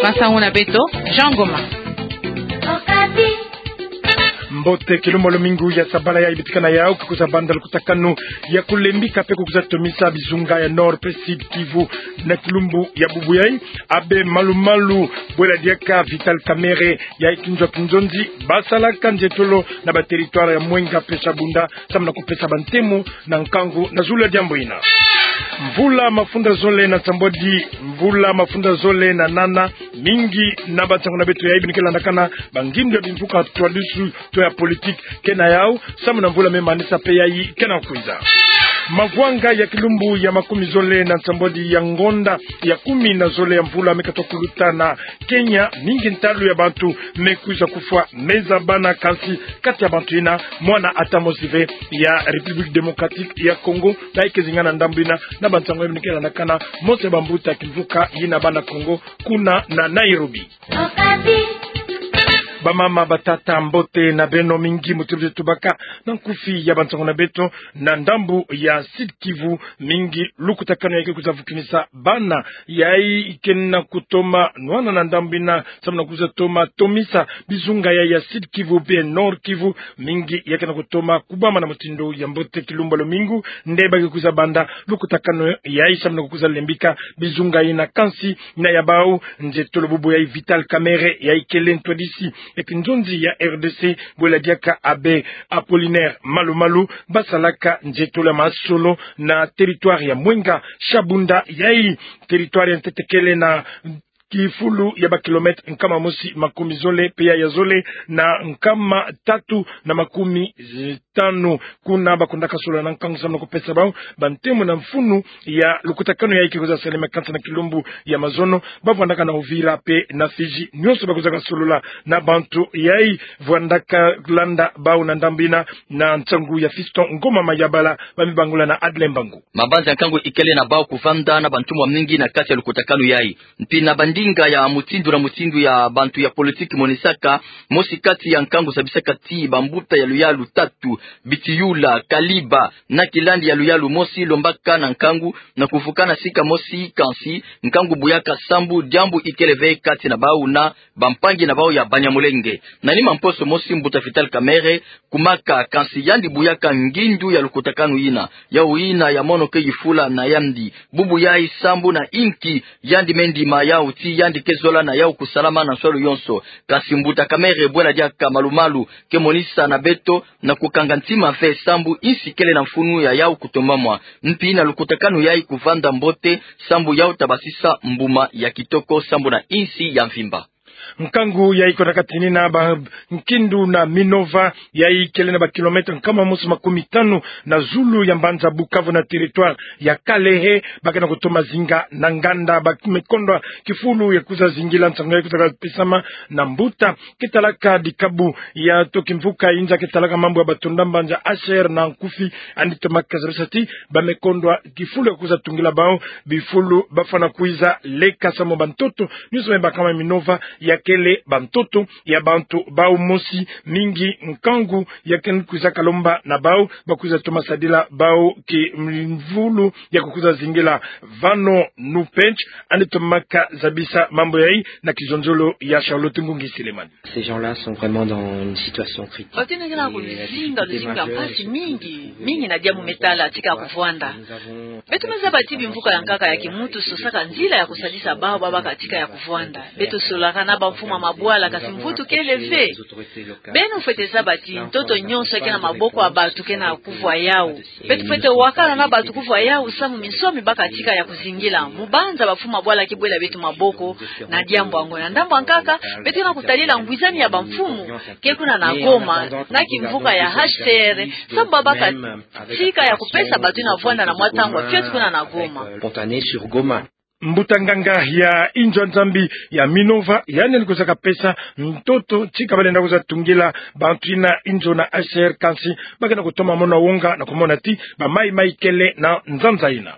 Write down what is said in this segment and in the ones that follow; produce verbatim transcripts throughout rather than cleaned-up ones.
Nsangu na beto, Jean Ngoma. Mbote, kilumbu ya lumingu ya sabala yayi betikana yawu, ke kwiza banda lukutakanu ya kulembika pe kukwiza tomisa bizunga ya Nord pe Sud Kivu. Na kilumbu ya bubu yayi, abbé malu-malu bwela diaka Vital Kamerhe, yayi kinzo ya kinzonzi, basalaka nzietolo na ba territoire ya Mwenga pe Shabunda, samu na kupesa bantemo na nkangu na zulu ya diambu yina. Mvula mafunda zole na nsambwadi mvula mafunda zole na nana, mingi na bansangu na beto yayi beno ke landakana, bangindu ya bimvuka twadusu to ya politique ke na yawu, samu na mvula me manisa pe yayi ke na kwiza. Mavwanga ya kilumbu ya makumi zole na nsambwadi ya ngonda ya kumi na zole ya mvula me katuka kuluta na Kenya, mingi ntalu ya bantu me kwiza kufwa, me za bana, kansi kati ya bantu yina, mwana ata mosi ve ya République Démocratique ya Congo, bayi ke zinga na ndambu yina, na bansangu yayi beno ke landakana, mosi ya bambuta ya kimvuka yina Bana Kongo, kuna na Nairobi. Bamama, batata, mbote na beno mingi, muti bwe tubaka na nkufi ya bansangu na beto, na ndambu ya Sud Kivu, mingi lukutakanu yayi ke kwiza vukinisa bana yayi ke na kutoma nwana na ndambu yina, samu na kwiza toma tomisa bizunga yayi ya Sud Kivu pe Nord Kivu, mingi yayi ke na kutoma kubama na mutindu ya mbote kilumbu ya lumingu, nde ba ke kwiza banda lukutakanu yayi samu na kukwiza lembika bizunga yina, kansi na ya bawu nzietolo bubu yayi Vital Kamerhe, yayi kele ntwadisi ya kinzonzi ya R D C, bwela diaka abbé Apollinaire Malu-malu, basalaka nzietolo ya masolo na territoire ya Mwenga Shabunda, yayi territoire ya ntete kele na kifulu ya ba kilomètre nkama mosi makumi zole pe ya zole na nkama tatu na makumi tanu. Kuna bakundaka solola na nkangu samu na kupesa bawu bantemo na mfunu ya lukutakanu yayi ke kwiza salama, kansi na kilumbu ya mazono, bavwandaka na Uvira pe na Fidji, nyonso bakwizaka solola na bantu yayi vwandaka landa bawu na ndambu yina, na nsangu ya Fiston Ngoma Mayabala, ba me bangula na Adlin Mbangu. Mabanza ya nkangu ikele na bawu kuvanda na bantumwa mingi na kati ya lukutakanu yayi. Mpi na bandinga ya mutindu na mutindu ya bantu ya politique monisaka, mosi kati ya nkangu zabisaka ti bambuta ya luyalu tatu, Bitiyula, Kaliba na Kilandi ya luyalu mosi, lombaka na nkangu na kuvukana sika mosi, kansi nkangu buyaka sambu, diambu ikele ve kati na bawu na bampangi na bawu ya Banyamulenge. Na nima mposo mosi, mbuta Vital Kamerhe kumaka, kansi yandi buyaka ngindu ya lukutakanu yina. Yawu yina ya mono ke yifula na yandi. Bubu yayi sambu na inki yandi me ndima yawu ti yandi ke zola na yawu kusalama na nswalu yonso. Kansi mbuta Kamerhe bwela diaka Malu-malu ke monisa na beto na kukanga ntima ve sambu insi kele na mfunu ya yawu kutombamwa. Mpi na lukutakanu yayi kuvanda mbote sambu yawu ta basisa mbuma ya kitoko sambu na insi ya mvimba. Nkangu yayi kona katinina ba nkindu na Minova, yayi kele na ba kilomètre nkama mosi makumi tanu na zulu ya mbanza Bukavu na territoire ya Kalehe, ba ke na kutoma zinga na nganda, ba me kondwa kifulu ya kwiza zingila nsangu yayi kwiza pesama na mbuta ke talaka dikabu ya to kimvuka yinza ke talaka mambu ya batonda mbanza H C R na nkufi, yandi tomaka zabisa ti ba me kondwa kifulu ya kwiza tungila bawu bifulu bafwana kwiza leka samu bantoto nyonso me bakama Minova ya kele bantoto ya bantu bawu mosi. Mingi nkangu ya ke kwizaka lomba na bawu, ba kwiza toma sadila bawu kimvulu ya kukwiza zingila. Vano Nupench, yandi tomaka zabisa mambu yayi na kizonzolo ya Charlotte Ngungi Silemani. Ces gens-là sont vraiment dans une situation critique. Batina ke na ku luzinga, luzinga mpasi mingi, mingi na diambu me tala tika ya kuvwanda. Beto me zaba ti bimvuka ya nkaka ya kimuntu sosaka nzila ya kusadisa bawu ba baka tika ya kuvwanda. Beto sololaka na bamfumu ya mabwala, kansi mvutu kele ve. Beno fwete zaba ti ntoto nyonso ke na maboko ya bantu ke na kuvwa yawu. Beto fwete wakana na bantu kuvwa yawu samu minsoni baka tika ya kuzingila. Mubanza bamfumu ya mabwala ke bwela beto maboko na diambu yango. Na ndambu ya nkaka, beto ke na kutadila ngwizani ya bamfumu ke kuna na Goma, na kimvuka ya H C R, samu ba baka tika ya kupesa bantu na vwanda na mwa ntangu ya fioti kuna na Goma. Spontané sur Goma. Mbuta nganga ya inzo ya Nzambi ya Minova, yandi kwizaka pesa ntoto tika ba lenda kwiza tungila bantu yina inzo na H C R, kansi ba ke na kutoma mona wonga na kumona ti ba mayi-mayi kele na nzanza yina.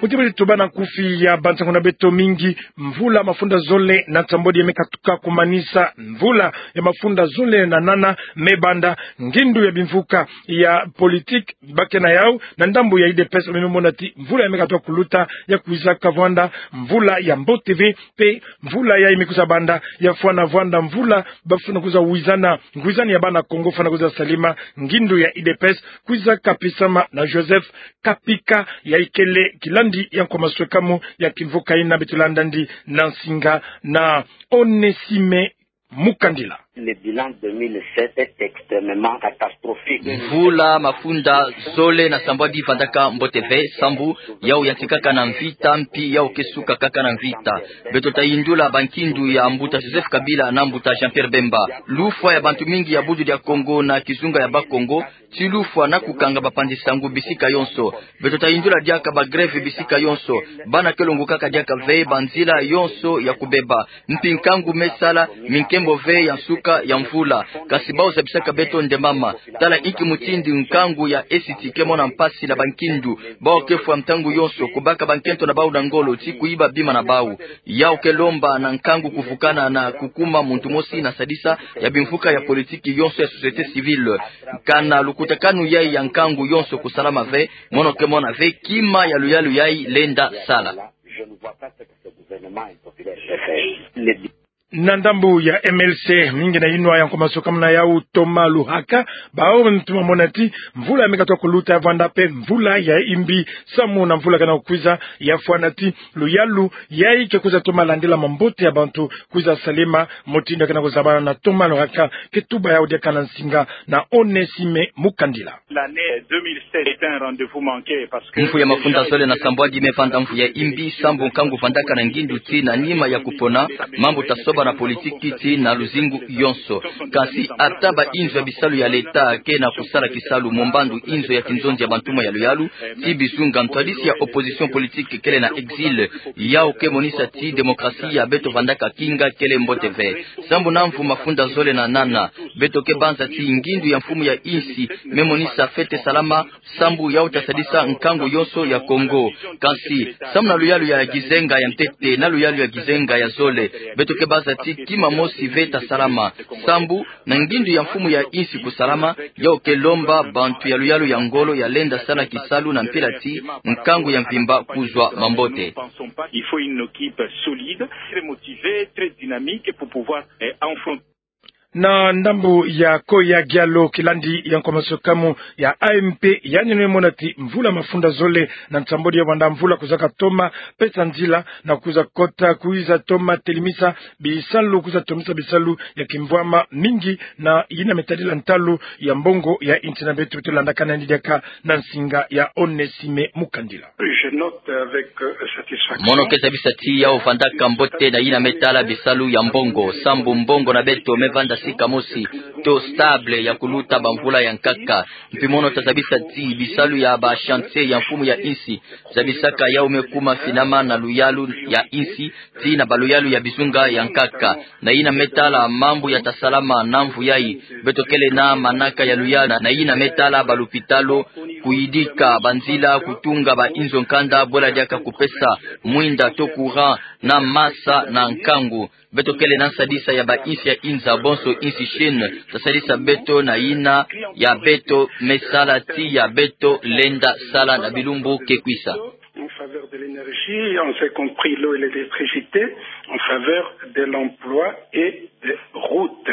Muti beti tubana nkufi ya bansangu na beto mingi. Mvula mafunda zole na nsambwadi ya me katuka kumanisa mvula ya mafunda zole na nana me banda. Ngindu ya bimvuka ya politique ba ke na yau na ndambu ya U D P S me mona ti mvula ya me katuka kuluta ya kwiza kavwanda mvula ya mbote ve, mpe mvula yayi me kwiza banda ya fwana vwanda mvula bafwana kwiza wizana ngwizani ya bana Kongo fwana kwiza salama. Ngindu ya U D P S kwiza kapisama na Joseph Kapika, yayi kele kilandi ya nkwa maswekamu ya kimvuka yina beti landa ndi na nsinga na Onesime Mukandila. Le bilan deux mille sept est extrêmement catastrophique. Mvula mafunda zole na nsambwadi vandaka mbote ve, sambu yau yantikaka na mvita, mpi yau ke suka kaka na mvita. Beto ta yindula bankindu ya mbuta Joseph Kabila na mbuta Jean-Pierre Bemba. Lufwa ya bantu mingi ya Budu dia Kongo na kizunga ya Bakongo, ti lufwa na kukanga bapanzi nsangu bisika yonso. Beto ta yindula diaka ba grève bisika yonso. Bana ke longokaka diaka ve, banzila yonso ya kubeba. Mpi nkangu me sala, mi nkembo ve ya nsuka ya mvula. Kasi bau zabisaka beto nde mama. Tala inki mutindu nkangu ya Est ke mona mpasi na bankindu. Bau ke fwa ntangu yonso, kubaka bankento na bau na ngolo, ti kuyiba bima na bau. Yau ke lomba na nkangu kuvukana na kukuma muntu mosi na sadisa ya bimvuka ya politiki yonso ya société civile. Kana lukutakanu yayi ya nkangu yonso kusalama ve, mono ke mona ve kima ya luyalu yayi lenda sala. Na ndambu ya M L C, mingi na yinwa ya nkwa maswekamu na yau Thomas Luhaka, bau ntu mamona ti mvula ya me katuka kuluta ya vwanda mpe mvula ya imbi samu na mvula kena kukwiza, ya fwana ti luyalu yayi ke kwiza toma landila mambote ya bantu kwiza salama. Mutindu ya kena kuzabana na Thomas Luhaka ke tuba yau diaka na nsinga na Onesime Mukandila. L'année deux mille sept est un rendez-vous manqué parce que mvu ya mafunda zole na nsambwadi me vanda mvu ya imbi, sambu nkangu vandaka na ngindu ti na nima ya kupona, mambu ta soba na politiki ti na luzingu yonso. Kasi ata ba inzo ya bisalu ya leta ke na kusala kisalu, mombandu inzo ya kinzonzi ya bantumwa ya luyalu, ti bizunga, ntwadisi ya opposition politique kele na exil. Yau ke monisa ti démocratie ya beto vandaka kinga kele mbote ve. Sambu na mvu mafunda zole na nana, beto ke banza ti ngindu ya mfumu ya insi me monisa fete salama, sambu yau ta sadisa nkangu yonso ya Kongo. Kasi sambu na luyalu ya kizenga ya ntete na luyalu ya kizenga ya zole, beto ke banza ti kima mosi ve ta salama. Sambu na ngindu ya mfumu ya insi kusalama, yau ke lomba bantu ya luyalu ya ngolo ya lenda sala kisalu na mpila ti nkangu ya mvimba kuzwa mambote. Il faut une équipe solide, très motivée, très dynamique pour pouvoir, eh, affronter. Na ndambu ya Koya Gialo, kilandi ya nkwa maswekamu ya A M P, yandi me mona ti mvula mafunda zole na nsambwadi ya vanda mvula kwiza katoma pesa nzila na kwiza kota, kwiza toma telimisa bisalu, kwiza tomisa bisalu ya kimvwama mingi na yina me tadila ntalu ya mbongo ya insi na beto. Beto landakana yandi diaka na nsinga ya Onesime Mukandila. Je note avec, euh, satisfaction. Mono ke zabisa ti yau vandaka mbote na yina me tala bisalu ya mbongo, sambu mbongo na beto me vanda sika mosi to stable ya kuluta bamvula ya nkaka. Mpi mono ta zabisa ti bisalu ya ba chantier ya mfumu ya insi zabisaka yau me kuma finama na luyalu ya insi, ti na ba luyalu ya bizunga ya nkaka. Na yina me tala mambu ya ta salama na mvu yayi, beto kele na manaka ya luyalu na, na yina me tala ba lupitalu, kuyidika banzila, kutunga ba inzo nkanda, bwela diaka kupesa mwinda to courant na masa na nkangu. Beto kele na nsadisa ya ba insi ya inza, bonso insi Chine ta sadisa beto na yina ya beto me sala ti ya beto lenda sala na bilumbu ke kwisa. En faveur de l'énergie, en ce compris l'eau et l'électricité, en faveur de l'emploi et des routes.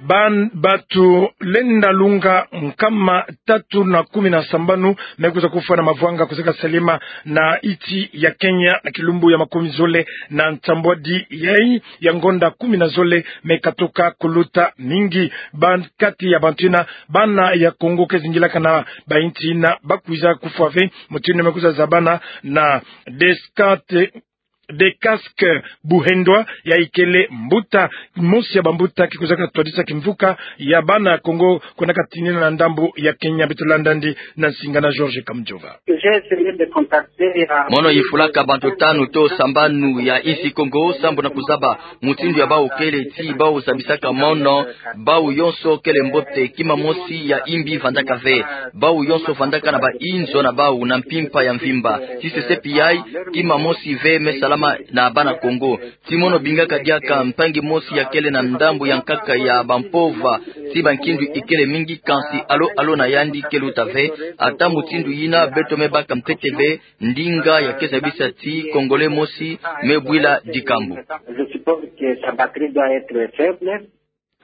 Ban-, batu lenda lunga nkama tatu na kumi na sambanu me kwiza kufwa na mavwanga kwiza kasalema na insi ya Kenya na kilumbu ya makumi zole na nsambwadi yayi ya ngonda kumi na zole me katuka kuluta. Mingi ban-, kati ya bantu yina, bana ya Kongo ke zingilaka na ba insi yina, ba kwiza kufwa ve, mutindu yina me kwiza zabana na Descartes De Casque Buhendwa, yayi kele mbuta, mosi ya bambuta ke kozaka twadisa kimvuka ya bana Kongo, kwenda katinina na ndambu ya Kenya. Beto landa yandi na nsinga na George Kamujova. Mono yifulaka bantu tanu to sambanu ya insi Kongo, sambu na kuzaba mutindu ya bawu kele, ti bawu zabisaka mono, bawu yonso kele mbote, kima mosi ya imbi vandaka ve. Bawu yonso vandaka na ba inzo na bawu na mpimpa ya mvimba. Ti sesepi yayi, kima mosi ve me salama na bana Kongo. Ti mono bingaka diaka mpangi mosi ya kele na ndambu ya nkaka ya bampova, ti bankindu ikele mingi, kansi alo alo na yandi ke luta ve. Ata mutindu yina, beto me baka ntete ve ndinga ya ke zabisa ti Congolais mosi me bwila dikambu. Je suppose que sa batterie doit être faible.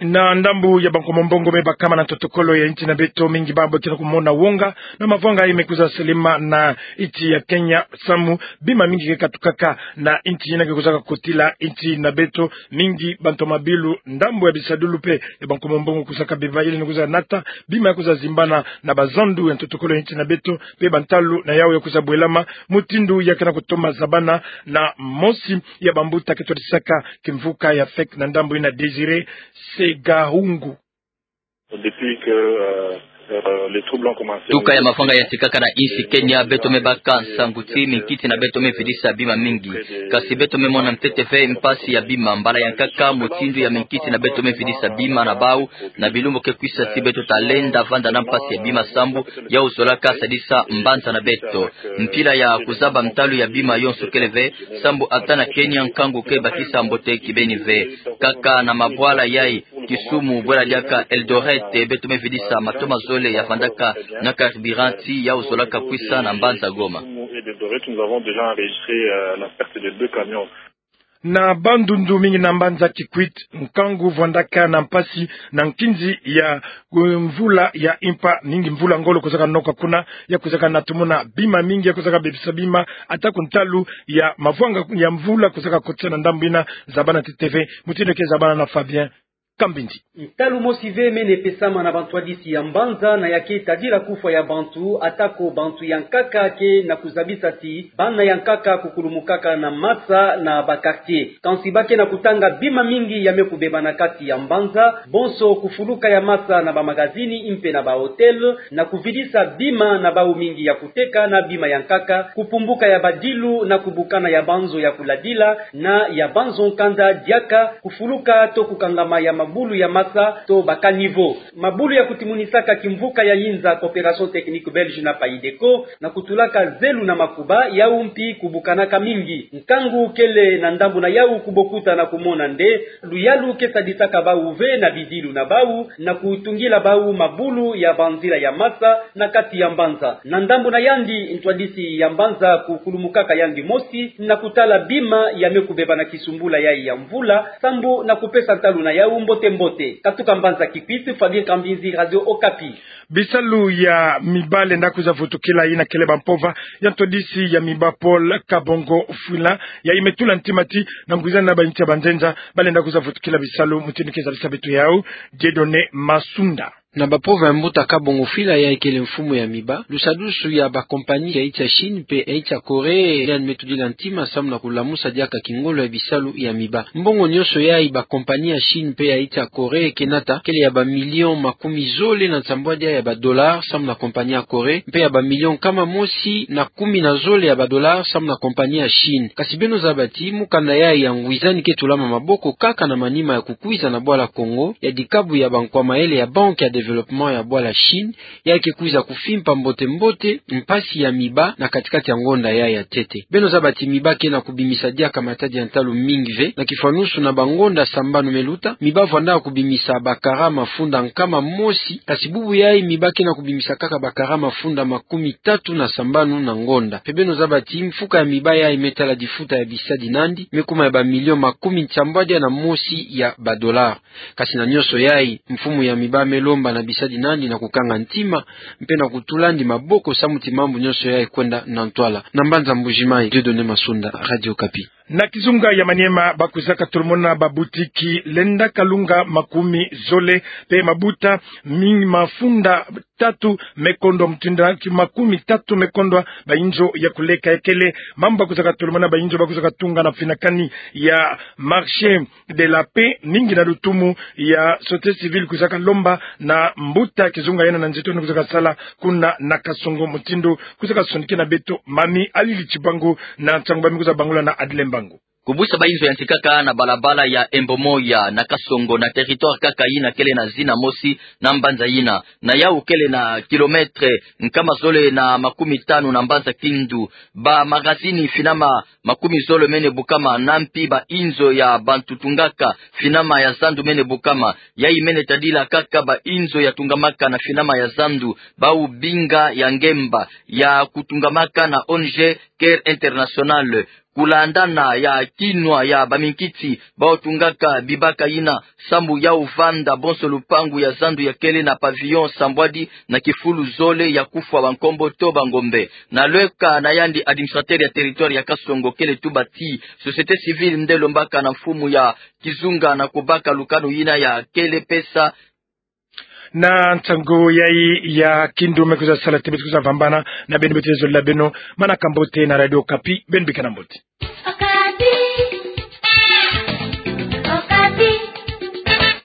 Na ndambu ya bankomo mbongo me bakama na ntotokolo ya insi na beto, mingi babo ti na kumona wonga na mavwanga yayi me kwiza selema na insi ya Kenya, samu bima mingi ke katukaka na insi yina ke kwizaka kotila insi na beto. Mingi bantu ya mabilu, ndambu ya bisadulu mpe ya bankomo mbongo kwizaka beba, yele ni kwiza nata bima ya kwiza zimbana na bazandu ya ntotokolo ya insi na beto, mpe bantalu na yawu ya kwiza bwelama, mutindu ya ke na kutoma zabana na mosi ya bambuta ke twadisaka kimvuka ya fake na ndambu yina, Désiré Segahungu. Depuis que, euh, euh, les troubles ont commencé. Tuka ya mavwanga yantikaka na insi Kenya, beto me baka nsangu ti minkiti na beto me vidisa bima mingi. Kasi beto me mona ntete ve mpasi ya bima. Mbala ya nkaka, mutindu ya minkiti na beto me vidisa bima na bawu, na bilumbu ke kwisa, ti beto ta lenda vanda na mpasi ya bima, sambu yawu zolaka sadisa mbanza na beto. Mpila ya kuzaba ntalu ya bima yonso kele ve, sambu ata na Kenya nkangu ke bakisa mbote kibeni ve. Kaka na mabwala yayi, Kisumu, bwela diaka Eldoret, beto me vidisa matoma zole ya vandaka na carburant ti yawu zolaka kwisa na mbanza Goma. Nous avons déjà enregistré, euh, la perte de deux camions. Na Bandundu mingi na mbanza Kikwit, nkangu vwandaka na mpasi na nkinzi ya, eh, mvula ya impa, mingi mvula ngolo kwizaka noka kuna, ya kwizaka natumuna bima mingi ya kwizaka bebisa bima, ata ku ntalu ya mavwanga ya mvula kwizaka kotisa na ndambu yina. Zabana ntete ve mutindu ke zabana na Fabien Kambindi. Ntalu mosi ve mene pesama na bantwadisi ya mbanza, na ya ke tadila kufwa ya bantu, ata ko bantu ya nkaka ke na kuzabisa ti bana ya nkaka kukulumukaka na masa na ba quartier. Kansi ba ke na kutanga bima mingi ya me kubeba na kati ya mbanza, bonso kufuluka ya masa na ba magazini mpe na ba hôtel, na kuvidisa bima na bawu mingi ya kuteka na bima ya nkaka, kupumbuka ya badilu na kubukana ya banzo ya kuladila, na ya banzo nkanda diaka, kufuluka to kukangama ya mabulu ya masa to ba caniveau. Mabulu ya kutimunisaka kimvuka ya yinza Coopération Technique Belge na Paideco, na kutulaka zelu na makuba, yawu mpi kubukanaka mingi. Nkangu kele na ndambu na yawu kubokuta na kumona nde luyalu ke sadisaka bawu ve na bidilu na bawu, na kutungila bawu mabulu ya banzila ya masa na kati ya mbanza. Na ndambu na yandi, ntwadisi ya mbanza kukulumukaka yandi mosi na kutala bima ya me kubeba na kisumbula yayi ya mvula, sambu na kupesa ntalu na yawu mbote mbote. Katuka mbanza Kikwit, Fabien Kambinzi, Radio Okapi. Bisalu ya miba lenda kwiza vutukila, yina kele bampova ya ntwadisi ya miba Paul Kabongo Fwila, yayi me tula ntima ti na ngwizani na bainsi ya banzenza, ba lenda kwiza vutukila bisalu mutindu ke zabisa beto yawu Dieudonné Masunda. Na bampova ya mbuta Kabongo Fwila, yayi kele mfumu ya miba, lusadusu ya ba compagnie ya insi ya Chine mpe ya insi ya Corée yandi me tudila ntima samu na kulamusa diaka kingolo ya bisalu ya miba. Mbongo nyonso yayi ba compagnie ya Chine mpe ya insi ya Corée ke nata kele ya ba million makumi zole na nsambwadia ya ba dollars samu na compagnie ya Corée, mpe ya ba million nkama mosi na kumi na zole ya ba dollars samu na compagnie ya Chine. Kasi beno zaba ti mukanda yayi ya ngwizani ke tulama maboko kaka na manima ya kukwiza na bwala Kongo ya dikabu ya bankwa mayele ya Banque ya Développement ya bwala Chine, yayi ke kwiza kufimpa mbote mbote mpasi ya miba na katikati ya ngonda yayi ya ntete. Beno zaba ti miba ke na kubimisa diaka matadi ya ntalu mingi ve. Na kifwanusu, na bangonda sambanu me luta, miba vwandaka kubimisa ba kara mafunda nkama mosi, kasi bubu yayi miba ke na kubimisa kaka ba kara mafunda makumi tatu na sambanu na ngonda. Mpe beno zaba ti mfuka ya miba yayi me tala difuta ya bisadi nandi me kuma ya ba million makumi nsambwadia na mosi ya ba dollars. Kasi na nyonso yayi, mfumu ya miba me lomba na bisadi nandi na kukanga ntima, mpe na kutula nandi maboko samu ti mambu nyonso yayi kwenda na ntwala. Na mbanza Mbujimayi, Dieudonné Masunda, Radio Okapi. Na kizunga ya Maniema, ba kwizaka tolomona ba boutique lenda kalunga makumi zole, mpe mabuta mingi mafunda tatu me kondwa, mutindu ki makumi tatu me kondwa bainzo ya kuleka. Ekele mambu bakwizaka tolomana, bainzo bakwizaka tunga na finakani ya marché de la paix, mingi na lutumu ya société civile kwizaka lomba na mbuta kizunga yena na nzito ni kwizaka sala kuna na Kasongo, mutindu kwizaka sonikena beto Mami Alili Chibangu na nsangu bami kwiza bangula na Adile Mbangu. Kubwisa bainzo ya nti kaka na balabala ya Embo Moya na Kasongo, na territoire kaka yina kele na zina mosi na mbanza yina, na yau kele na kilomètre nkama zole na makumi tanu na mbanza Kindu. Ba magazini finama makumi zole mene bukama, na mpi bainzo ya bantu tungaka finama ya zandu mene bukama. Yayi mene tadila kaka bainzo ya tungamaka na finama ya zandu, bau binga ya ngemba ya kutungamaka na O N G Care International. Kulandana ya kinwa ya baminkiti bau tungaka bibaka yina, sambu yau vanda bonso lupangu ya zandu ya kele na pavillon sambwadi na kifulu zole ya kufwa bankombo to bangombe. Na lweka na yandi, administrateur ya territoire ya Kasongo kele tuba ti société civile nde lombaka na mfumu ya kizunga na kubaka lukanu yina ya kele pesa. Na nsangu yayi ya Kindu me kwiza sala ti beto kwiza vambana na beno, beto zolila beno manaka mbote na Radio Okapi, beno bika na mbote.